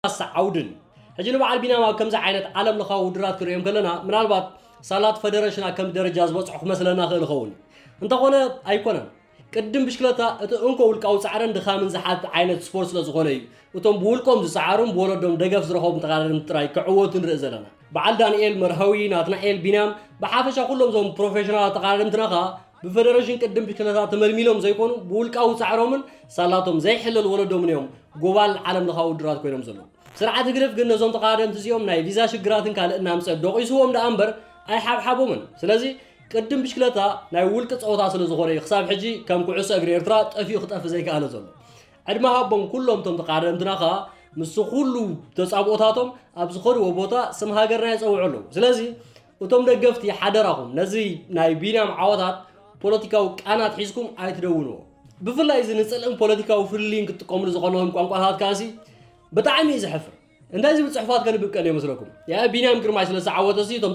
ዓውድን። ሕጂ ንበዓል ቢንያም ኣብ ከምዚ ዓይነት ዓለም ለኻዊ ውድድራት ክንሪኦም ከለና ምናልባት ሳላት ፈደረሽን ኣብ ከምዚ ደረጃ ዝበፅሑ ክመስለና ክእል ይኸውን። እንተኾነ ኣይኮነን። ቅድም ብሽክለታ እቲ እንኮ ውልቃዊ ፃዕርን ድኻምን ዝሓትት ዓይነት ስፖርት ስለ ዝኾነ እዩ እቶም ብውልቆም ዝፀዓሩን ብወለዶም ደገፍ ዝረኸቡን ተቐዳደምቲ ጥራይ ክዕወቱ ንርኢ ዘለና። በዓል ዳንኤል መርሃዊ፣ ናትናኤል ቢንያም፣ ብሓፈሻ ኩሎም እዞም ፕሮፌሽናላት ተቐዳደምትና ኸኣ ብፈደረሽን ቅድም ብሽክለታ ተመልሚሎም ዘይኮኑ ብውልቃዊ ፃዕሮምን ሳላቶም ዘይሕለል ወለዶምን እዮም ጎባል ዓለም ለኻዊ ውድድራት ኮይኖም ዘለዉ። ስርዓት ህግደፍ ግን ነዞም ተቐዳደምቲ እዚኦም ናይ ቪዛ ሽግራትን ካልእ እናምፀ ዶቒስዎም ደኣ እምበር ኣይሓብሓቦምን። ስለዚ ቅድም ብሽክለታ ናይ ውልቂ ፀወታ ስለ ዝኾነ እዩ ክሳብ ሕጂ ከም ኩዕሶ እግሪ ኤርትራ ጠፊኡ ክጠፊ ዘይከኣለ ዘሎ። ዕድመ ሃቦም ኩሎም እቶም ተቐዳደምትና ኸኣ ምስ ኩሉ ተጻብኦታቶም ኣብ ዝኸድዎ ቦታ ስም ሃገርና የጸውዑ ኣለዉ። ስለዚ እቶም ደገፍቲ ሓደራኹም ነዚ ናይ ቢንያም ዓወታት ፖለቲካዊ ቃናት ሒዝኩም ኣይትደውንዎ። ብፍላይ እዚ ንጽልእን ፖለቲካዊ ፍልልይን ክትጥቀምሉ ዝቐነኹም ቋንቋታት ከኣሲ ብጣዕሚ እዩ ዘሕፍር። እንታይ ዝብል ጽሑፋት ከንብብ ቀንየ መስለኩም? ያ ቢንያም ግርማይ ስለ ዝዓወተሲ እቶም